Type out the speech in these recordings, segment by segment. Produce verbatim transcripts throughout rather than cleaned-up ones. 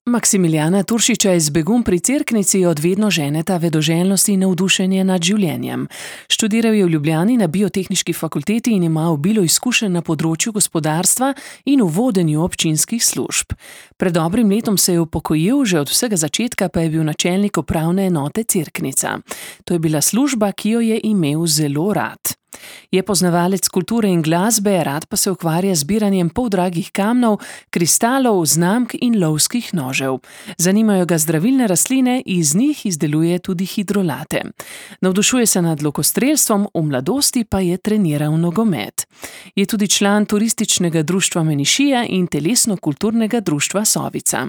Maksimiljana Turšiča iz Begun pri Cerknici od vedno ženeta vedoželjnost in navdušenje nad življenjem. Študiral je v Ljubljani na Biotehniški fakulteti in ima obilo izkušenj na področju gospodarstva in v vodenju občinskih služb. Pred dobrim letom se je upokojil, že od vsega začetka pa je bil načelnik upravne enote Cerknica. To je bila služba, ki jo je imel zelo rad. Je poznavalec kulture in glasbe, rad pa se ukvarja z zbiranjem poldragih kamnov, kristalov, znamk in lovskih nožev. Zanimajo ga zdravilne rastline, iz njih izdeluje tudi hidrolate. Navdušuje se nad lokostrelstvom, v mladosti pa je treniral nogomet. Je tudi član turističnega društva Menišija in telesno-kulturnega društva Sovica.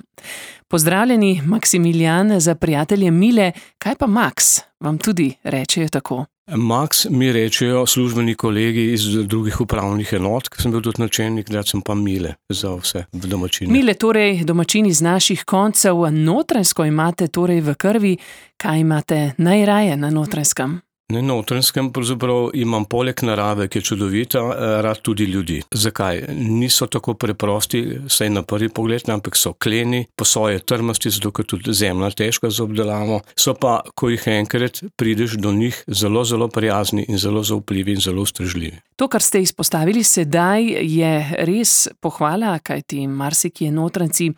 Pozdravljeni, Maksimilijan, za prijatelje Mile. Kaj pa Maks? Vam tudi rečejo tako? Maks mi rečejo službeni kolegi iz drugih upravnih enot, ker sem bil tudi načelnik, da sem pa Mile za vse v domačini. Mile, torej domačini z naših koncev, Notranjsko imate torej v krvi. Kaj imate najraje na Notranjskem? Na Notranjskem pravzaprav imam poleg narave, ki je čudovita, rad tudi ljudi. Zakaj? Niso tako preprosti, saj na prvi pogled, ampak so kleni, po svoje trmasti, zato ker tudi zemlja težka za obdelavo. So pa, ko jih enkrat prideš do njih, zelo, zelo prijazni in zelo zaupljivi in zelo ustrežljivi. To, kar ste izpostavili sedaj, je res pohvala, kajti marsikje Notranjci,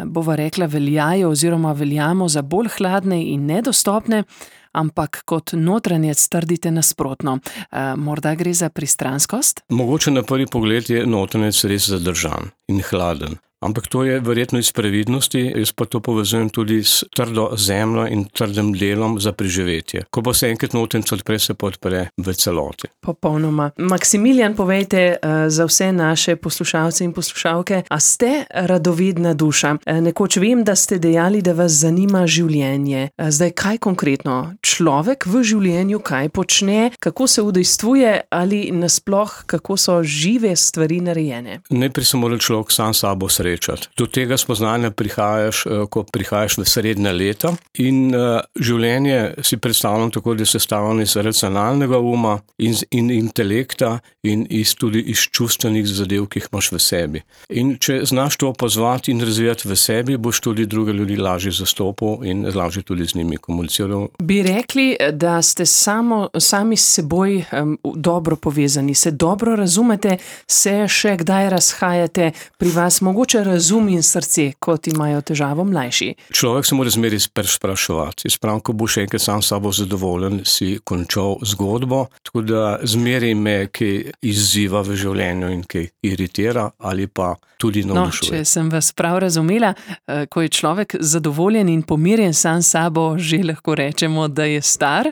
bova rekla, veljajo oziroma veljamo za bolj hladne in nedostopne, ampak kot notranjec trdite nasprotno. E, morda gre za pristranskost? Mogoče na prvi pogled je notranjec res zadržan in hladen. Ampak to je verjetno iz previdnosti, jaz pa to povezujem tudi s trdo zemljo in trdim delom za preživetje. Ko pa se enkrat notranjec odpre, se pa odpre v celoti. Popolnoma. Maksimilijan, povejte uh, za vse naše poslušalce in poslušalke, a ste radovedna duša? Uh, nekoč vem, da ste dejali, da vas zanima življenje. Uh, zdaj, kaj konkretno? Človek v življenju kaj počne, kako se udejstvuje ali nasploh, kako so žive stvari narejene? Najprej se mora človek sam sabo srečati. Do tega spoznanja prihajaš, ko prihajaš v srednja leta in uh, življenje si predstavljam tako, da je sestavljeno iz racionalnega uma in, in intelekta in iz, tudi iz čustvenih zadev, ki jih imaš v sebi. In če znaš to pozvati in razvijati v sebi, boš tudi druge ljudi lažje zastopil in lažje tudi z njimi komuniciral. Bi rekli, da ste samo, sami s seboj um, dobro povezani, se dobro razumete, se še kdaj razhajate, pri vas mogoče razum in srce, kot imajo težavo mlajši. Človek se mora zmeri spraševati. Spravim, ko boš enkrat sam sabo zadovoljen, si končal zgodbo, tako da zmeri me, ki izziva v življenju in ki iritira ali pa tudi navdušuje. No, če sem vas prav razumela, ko je človek zadovoljen in pomirjen sam sabo, že lahko rečemo, da je star.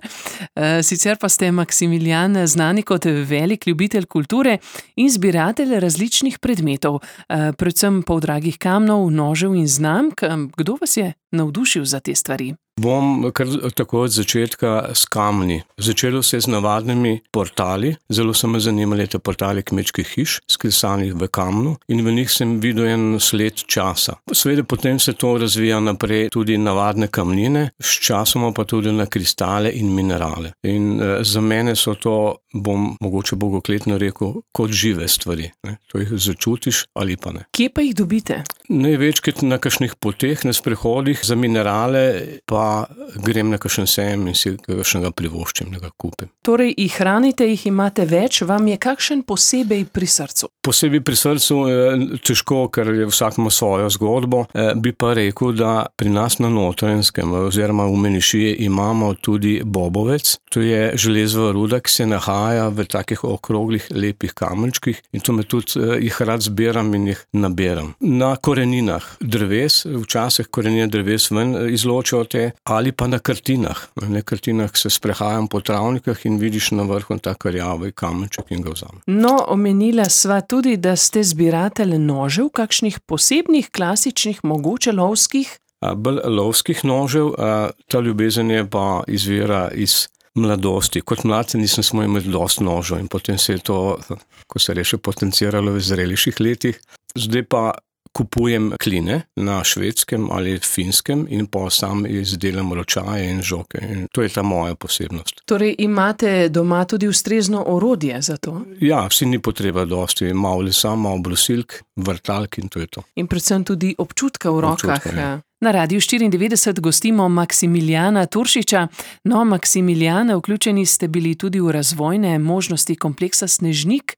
Sicer pa ste, Maksimilijan, znani kot velik ljubitelj kulture in zbiratelj različnih predmetov, predvsem poldragih kamnov, nožev in znamk. Kdo vas je navdušil za te stvari? Bom kar tako od začetka s kamni. Začelo se z navadnimi portali. Zelo so me zanimali te portali kmečkih hiš, skrisanih v kamnu in v njih sem videl en sled časa. Seveda potem se to razvija naprej tudi navadne kamnine, s časoma pa tudi na kristale in minerale. In eh, za mene so to, bom mogoče bogokletno rekel, kot žive stvari. Ne? To jih začutiš ali pa ne. Kje pa jih dobite? Največkrat na kakšnih poteh, na sprehodih, za minerale pa grem na kakšen sejem in si kakšnega privoščim, da ga kupim. Torej, jih hranite, jih imate več, vam je kakšen posebej pri srcu? Posebej pri srcu je težko, ker je vsak ima svojo zgodbo. Bi pa rekel, da pri nas na Notranjskem oziroma v Menišiji imamo tudi bobovec. To je železova ruda, ki se nahaja v takih okroglih, lepih kamenčkih in to me tudi jih rad zbiram in jih nabiram. Na koreninah dreves, včasih korenine dreves ven izločijo te, ali pa na krtinah. Na krtinah se sprehajam po travnikah in vidiš na vrhu tak rjavi kamenček in ga vzamem. No, omenila sva tudi, da ste zbiratelj nožev, kakšnih posebnih, klasičnih, mogoče lovskih? A, bolj lovskih nožev, a, ta ljubezen je pa izvira iz mladosti. Kot mladce nisem smel imeti dosti nožev in potem se je to, ko se reče, potenciralo v zreliških letih. Zdaj pa kupujem kline na švedskem ali finskem in pa sam izdelam ročaje in žoke. In to je ta moja posebnost. Torej imate doma tudi ustrezno orodje za to? Ja, vsi ni potreba dosti. Malo lesa, malo brusilk, vrtalk in to je to. In predvsem tudi občutka v rokah. Občutka, ja. Na Radiu štiriindevetdeset gostimo Maksimilijana Turšiča. No, Maksimilijan, vključeni ste bili tudi v razvojne možnosti kompleksa Snežnik.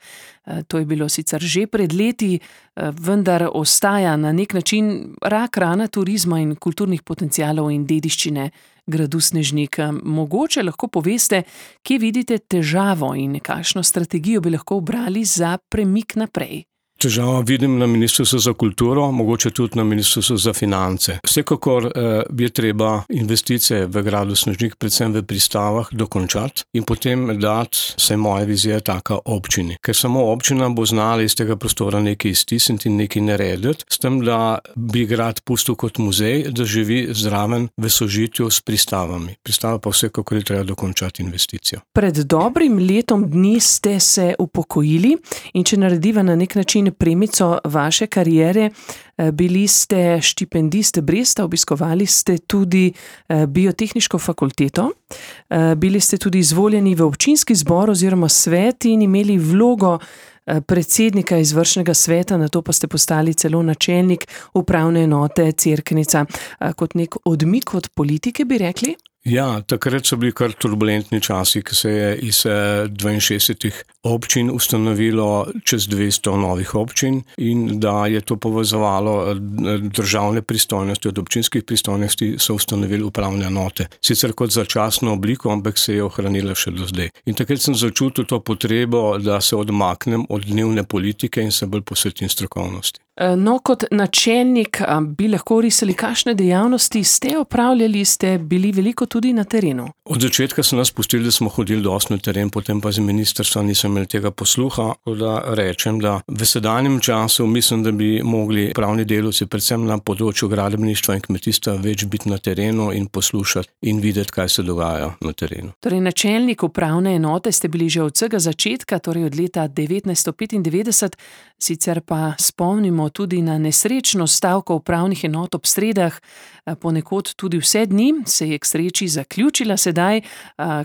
To je bilo sicer že pred leti, vendar ostaja na nek način rak rana turizma in kulturnih potencialov in dediščine gradu Snežnik. Mogoče lahko poveste, kje vidite težavo in kakšno strategijo bi lahko ubrali za premik naprej? Težava vidim na Ministrstvu za kulturo, mogoče tudi na Ministrstvu za finance. Vsekakor eh, je treba investicije v gradu Snežnik, predvsem v pristavah, dokončati in potem dati, vsaj moja vizija je taka, občini. Ker samo občina bo znala iz tega prostora nekaj iztisniti in nekaj narediti, s tem, da bi grad pustil kot muzej, da živi zraven v sožitju s pristavami. Pristava pa vsekakor je treba dokončati investicijo. Pred dobrim letom dni ste se upokojili in če narediva na nek način premico vaše kariere, bili ste štipendist Bresta, obiskovali ste tudi biotehniško fakulteto, bili ste tudi izvoljeni v občinski zbor oziroma svet in imeli vlogo predsednika izvršnega sveta, nato pa ste postali celo načelnik upravne enote Cerknica. Kot nek odmik od politike, bi rekli? Ja, takrat so bili kar turbulentni časi, ko se je iz dvainšestdesetih občin ustanovilo čez dvesto novih občin in da je to povezovalo državne pristojnosti, od občinskih pristojnosti so ustanovili upravne enote. Sicer kot začasno obliko, ampak se je ohranila še do zdaj. In takrat sem začutil to potrebo, da se odmaknem od dnevne politike in se bolj posvetim strokovnosti. No, kot načelnik bi lahko risali, kakšne dejavnosti ste opravljali, ste bili veliko tudi na terenu? Od začetka so nas pustili, da smo hodili dosti na teren, potem pa z ministrstva nisem imel tega posluha, da rečem, da v sedanjem času mislim, da bi mogli pravni delavci, predvsem na področju gradbeništva in kmetijstva, več biti na terenu in poslušati in videti, kaj se dogaja na terenu. Torej, načelnik upravne enote ste bili že od vsega začetka, torej od leta devetnajststo petindevetdeset, sicer pa spomnimo tudi na nesrečno stavko upravnih enot ob sredah, ponekod tudi vse dni, se je k sreči zaključila sedaj.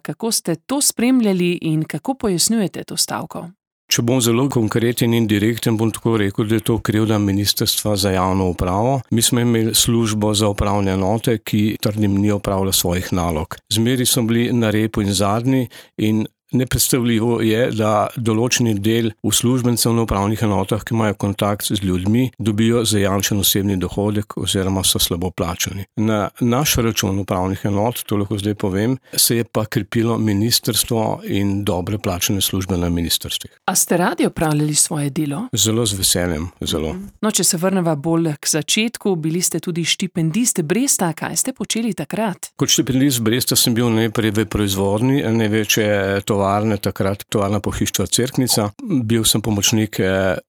Kako ste to spremljali in kako pojasnjujete to stavko? Če bom zelo konkreten in direkten, bom tako rekel, da je to krivda Ministrstva za javno upravo. Mi smo imeli službo za upravne enote, ki trdim ni opravila svojih nalog. Zmeri so bili na repu in zadnji in nepredstavljivo je, da določeni del uslužbencev na upravnih enotah, ki imajo kontakt z ljudmi, dobijo zajamčen osebni dohodek oziroma so slabo plačani. Na naš račun upravnih enot, to lahko zdaj povem, se je pa krepilo ministrstvo in dobre plačane službe na ministrstvih. A ste radi opravljali svoje delo? Zelo z veseljem, zelo. No, če se vrneva bolj k začetku, bili ste tudi štipendist Bresta, kaj ste počeli takrat? Kot štipendist Bresta sem bil najprej v proizvodnji, največje tovarne, takrat tovarna pohištva Cerknica. Bil sem pomočnik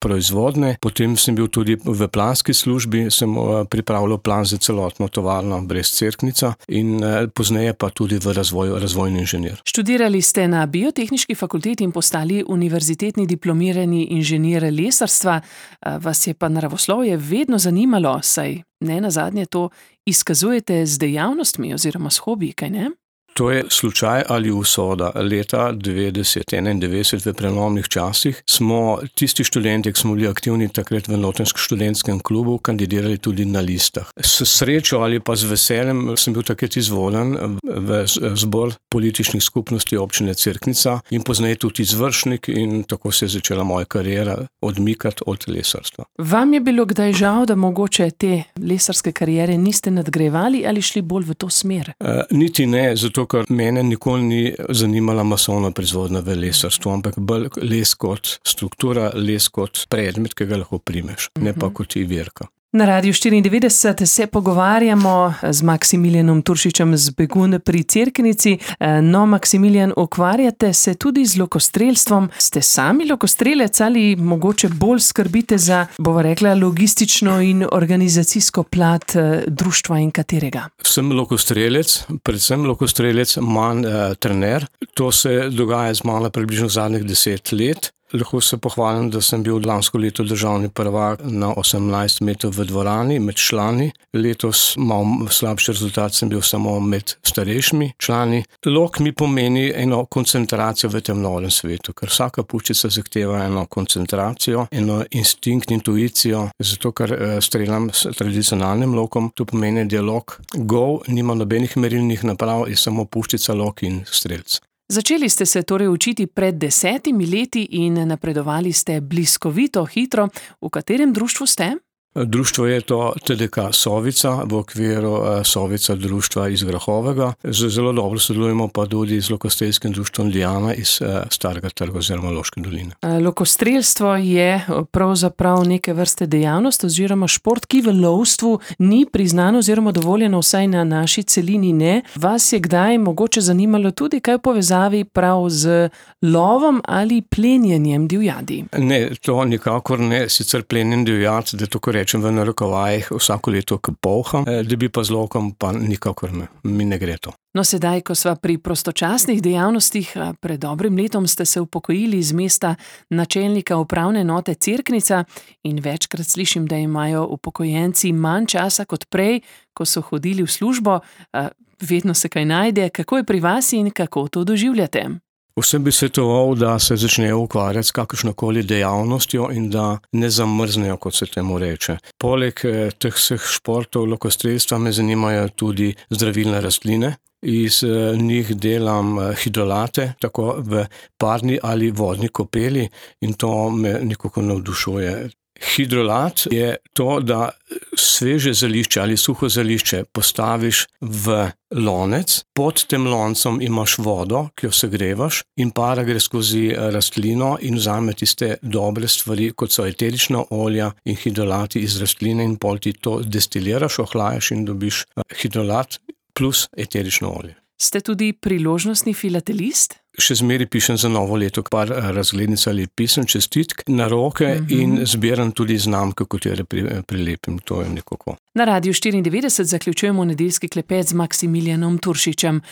proizvodne, potem sem bil tudi v planski službi, sem pripravljal plan za celotno tovarno Brest Cerknica in pozneje pa tudi v razvoju, razvojni inženir. Študirali ste na biotehniški fakulteti in postali univerzitetni diplomirani inženir lesarstva. Vas je pa naravoslovje vedno zanimalo, saj ne nazadnje to izkazujete z dejavnostmi oziroma s hobiji, kaj ne? To je slučaj ali usoda. Leta devetdeset enaindevetdeset v prelomnih časih smo tisti študenti, ki smo bili aktivni takrat v Notranjskem študentskem klubu, kandidirali tudi na listah. S srečo ali pa z veseljem sem bil takrat izvoljen v zbor političnih skupnosti občine Cerknica in pozneje tudi izvršnik in tako se je začela moja kariera odmikati od lesarstva. Vam je bilo kdaj žal, da mogoče te lesarske kariere niste nadgrajevali ali šli bolj v to smer? E, niti ne, zato ker mene nikoli ni zanimala masovna proizvodnja v lesarstvu, ampak bolj les kot struktura, les kot predmet, ki ga lahko primeš, ne pa kot ivirka. Na Radiu štiriindevetdeset se pogovarjamo z Maksimilijanom Turšičem z Begunj pri Cerknici. No, Maksimilijan, ukvarjate se tudi z lokostrelstvom. Ste sami lokostrelec ali mogoče bolj skrbite za, bova rekla, logistično in organizacijsko plat društva in katerega? Sem lokostrelec, predvsem lokostrelec, manj eh, trener. To se dogaja z mano približno zadnjih deset let. Lahko se pohvalim, da sem bil lansko leto državni prvak na osemnajst metrov v dvorani med člani. Letos malo slabši rezultat sem bil samo med starejšimi člani. Lok mi pomeni eno koncentracijo v tem novem svetu, ker vsaka puščica zahteva eno koncentracijo, eno instinkt, intuicijo, zato ker streljam s tradicionalnim lokom. To pomeni dialog. Go nima nobenih merilnih naprav, je samo puščica, lok in strelc. Začeli ste se torej učiti pred desetimi leti in napredovali ste bliskovito hitro. V katerem društvu ste? Društvo je to T D K Sovica v okviru Sovica društva iz Grahovega. Zelo dobro sodelujemo pa tudi z Lokostrelskim društvom Ljubljana iz Starega trga oziroma Loške doline. Lokostrelstvo je pravzaprav neke vrste dejavnost oziroma šport, ki v lovstvu ni priznan oziroma dovoljeno, vsaj na naši celini ne. Vas je kdaj mogoče zanimalo tudi kaj v povezavi prav z lovom ali plenjenjem divjadi? Ne, to nikakor ne, sicer plenjen divjad, da to rečem v narekovajih, vsako leto kapolham, da bi pa z lokom pa nikakor ne, mi ne gre to. No, sedaj, ko sva pri prostočasnih dejavnostih, pred dobrim letom ste se upokojili z mesta načelnika upravne enote Cerknica in večkrat slišim, da imajo upokojenci manj časa kot prej, ko so hodili v službo. Vedno se kaj najde. Kako je pri vas in kako to doživljate? Vsem bi svetoval, da se začnejo ukvarjati s kakršnokoli dejavnostjo in da ne zamrznejo, kot se temu reče. Poleg teh vseh športov lokostrelstva me zanimajo tudi zdravilne rastline. Iz njih delam hidrolate, tako v parni ali vodni kopeli, in to me nekako navdušuje. Hidrolat je to, da sveže zelišče ali suho zelišče postaviš v lonec, pod tem loncem imaš vodo, ki jo segrevaš, in para gre skozi rastlino in vzame tiste dobre stvari, kot so eterična olja in hidrolati iz rastline, in pol ti to destiliraš, ohlajaš in dobiš hidrolat plus eterično olje. Ste tudi priložnostni filatelist? Še zmeri pišem za novo leto par razglednic ali pisem, čestitk na roke, mm-hmm. in zbiram tudi znamke, katere prilepim. To je nekako. Na Radiu štiriindevetdeset zaključujemo nedeljski klepet z Maksimilijanom Turšičem.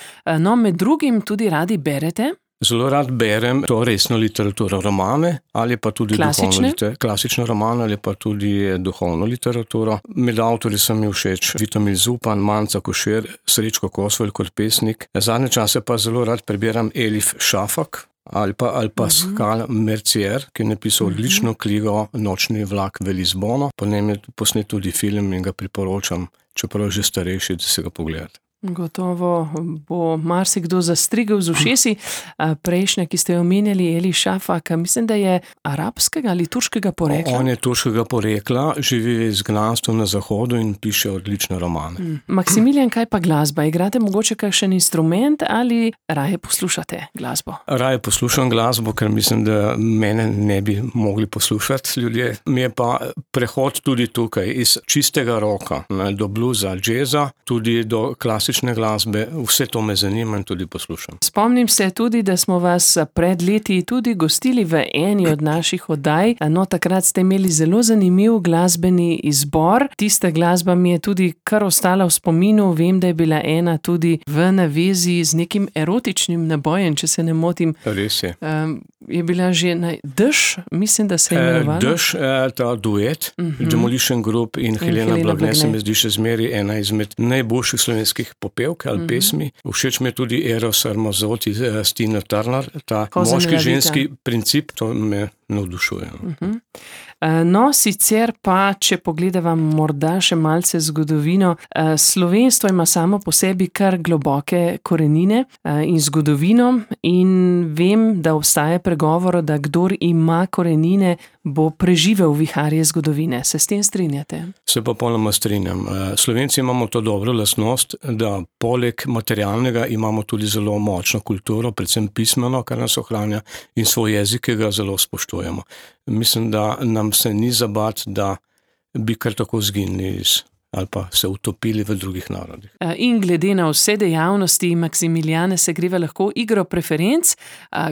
No, med drugim tudi radi berete? Zelo rad berem to resno literaturo, romane ali pa tudi klasične? duhovno, klasične romane ali pa tudi duhovno literaturo. Med avtorji so mi všeč Vitomil Zupan, Manca Košir, Srečko Kosvelj kot pesnik. Zadnje čase pa zelo rad prebiram Elif Šafak ali pa, ali pa uh-huh. Skal Mercier, ki je napisal uh-huh. odlično knjigo Nočni vlak v Lizbono. Po njem je posnet tudi film in ga priporočam, čeprav že starejši, da se ga pogledate. Gotovo bo marsikdo zastrigel z ušesi. Prejšnja, ki ste jo omenjali, Eli Šafak, mislim, da je arabskega ali turškega porekla. On je turškega porekla, živi v izgnanstvu na zahodu in piše odlične romane. Hmm. Maksimilijan, kaj pa glasba? Igrate mogoče kakšen instrument ali raje poslušate glasbo? Raje poslušam glasbo, ker mislim, da mene ne bi mogli poslušati ljudje. Mi je pa prehod tudi tukaj, iz čistega roka do bluza, džeza, tudi do klasičnega glasbe, vse to me zanima in tudi poslušam. Spomnim se tudi, da smo vas pred leti tudi gostili v eni od naših oddaj. No, takrat ste imeli zelo zanimiv glasbeni izbor. Tista glasba mi je tudi kar ostala v spominu. Vem, da je bila ena tudi v navezi z nekim erotičnim nabojem, če se ne motim. Res je. Um, je bila že na Dež, mislim, da se je imenovala. Dež, ta duet, uh-huh. Demolition Group in, in Helena, Helena Blagne se mi zdi še zmeri ena izmed najboljših slovenskih popevk ali uh-huh. pesmi. Všeč mi je tudi Eros Ramazzotti, Tina Turner, ta moški-ženski princip, to me navdušuje. Uh-huh. No, sicer pa, če pogledava morda še malce zgodovino, slovenstvo ima samo po sebi kar globoke korenine in zgodovino, in vem, da obstaja pregovor, da kdor ima korenine, bo preživel viharje zgodovine. Se s tem strinjate? Se pa polnoma strinjam. Slovenci imamo to dobro lastnost, da poleg materialnega imamo tudi zelo močno kulturo, predvsem pismeno, kar nas ohranja, in svoj jezik, ki ga zelo spoštujemo. Mislim, da nam se ni zabat, da bi kar tako zginili iz, ali pa se utopili v drugih narodih. In glede na vse dejavnosti, Maksimilijane, se greva lahko igro preferenc.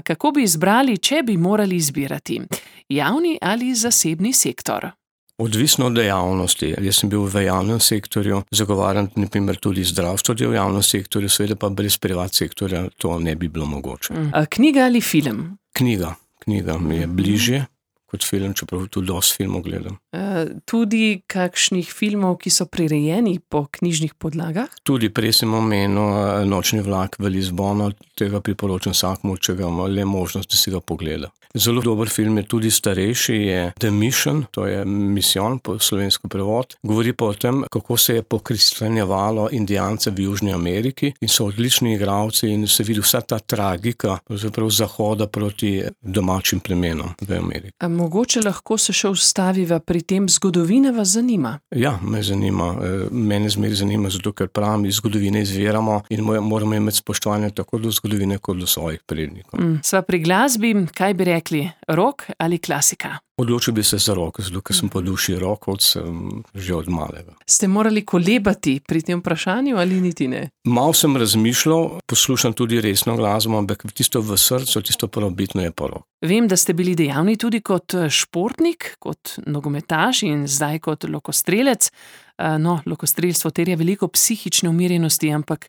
Kako bi izbrali, če bi morali izbirati? Javni ali zasebni sektor? Odvisno od dejavnosti. Jaz sem bil v javnem sektorju, zagovarjam naprimer tudi zdravstvo v javnem sektorju, seveda pa brez privat sektorja to ne bi bilo mogoče. Knjiga ali film? Knjiga. knjiga mi je bližje kot film, čeprav tudi dosti filmov gledam. Uh, tudi kakšnih filmov, ki so prirejeni po knjižnih podlagah? Tudi prej sem omenil Nočni vlak v Lizbono, tega priporočam vsakmu, če ga ima le možnost, da si ga pogleda. Zelo dober film je tudi starejši, je The Mission, to je misijon po slovensko prevod. Govori pa o tem, kako se je pokristjanjevalo Indijance v Južni Ameriki in so odlični igralci in se vidi vsa ta tragika pravzaprav zahoda proti domačim plemenom v Ameriki. A mogoče lahko se še ustaviva pri tem, zgodovina vas zanima? Ja, me zanima. Mene zmeraj zanima, zato ker pravim, iz zgodovine izviramo in moramo imeti spoštovanje tako do zgodovine, kot do svojih prednikov. Mm. Sva pri glasbi, kaj bi rekli, rock ali klasika? Odločil bi se za rock, zato ker sem po duši rockovec že od malega. Ste morali kolebati pri tem vprašanju ali niti ne? Mal sem razmišljal, poslušam tudi resno glasbo, ampak tisto v srcu, tisto prvobitno je pa rock. Vem, da ste bili dejavni tudi kot športnik, kot nogometaš in zdaj kot lokostrelec. No, lokostrelstvo terja veliko psihične umirjenosti, ampak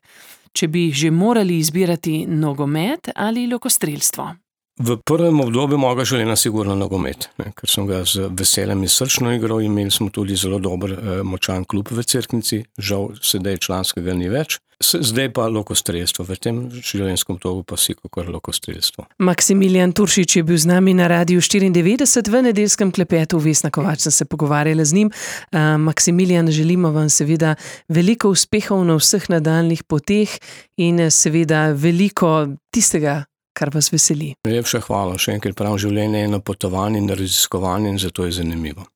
če bi že morali izbirati nogomet ali lokostrelstvo? V prvem obdobju mojega življenja sigurno nogomet, ne, ker sem ga z veseljem in srčno igral, imeli smo tudi zelo dober, močan klub v Cerknici, žal sedaj članskega ni več. Zdaj pa lokostrelstvo, v tem življenjskem togu pa vsekakor lokostrelstvo. Maksimilijan Turšič je bil z nami na Radiu štiriindevetdeset v nedeljskem klepetu. Vesna Kovač sem se pogovarjala z njim. Uh, Maksimilijan, želimo vam seveda veliko uspehov na vseh nadaljnih poteh in seveda veliko tistega, kar vas veseli. Najlepša hvala, še enkrat pravim, življenje je na potovanju in na raziskovanju in zato je zanimivo.